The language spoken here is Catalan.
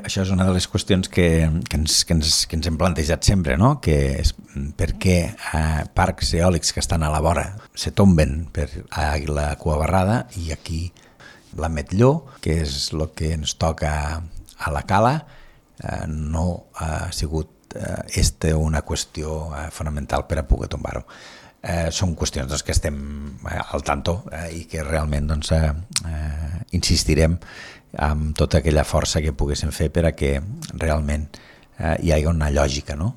això és una de les qüestions que ens hem plantejat sempre, no? Que és per què parcs eòlics que estan a la vora se tomben per Àguila Cuabarrada i aquí l'Ametlló, que és el que ens toca a la Cala, no ha sigut una qüestió fonamental per a poder tombar-ho. Són qüestions que estem al tanto i que realment insistirem amb tota aquella força que poguéssim fer per a que realment hi hagi una lògica, no?